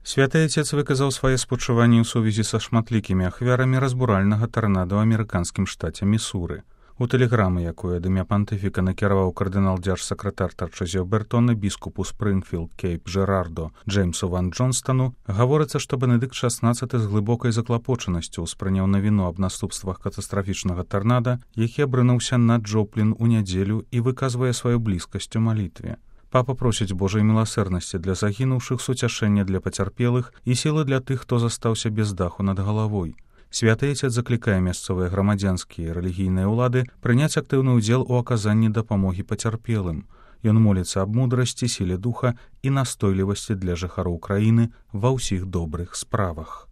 Святы Отец выказаў свае спачуванні ў сувязі са шматлікімі ахвярамі разбуральнага тарнада ў амерыканскім штаце Місуры. У тэлеграмы, якую ад імя пантыфіка накіраваў кардынал-дзяржсакратар Тарчызіо Бертоне біскупу Спрынгфілд Кейп Жерардо Джеймсу Ван Джонстану, гаворыцца, што Бенедыкт XVI з глыбокай заклапочанасцю ўспрыняў навіну аб наступствах катастрафічнага тарнада, які абрынуўся на Джоплін у нядзелю і выказвае сваю блізкасць у малітве. Папа просіць Божай міласэрнасці для загінуўшых, суцяшэння для пацярпелых і сілы для тых, хто застаўся без даху над галавой. Святы Отец заклікае мясцовыя грамадзянскія і рэлігійныя ўлады прыняць актыўны ўдзел у аказанні дапамогі пацярпелым. Ён моліцца аб мудрасці, сіле духа і настойлівасці для жыхароў краіны ва ўсіх добрых справах.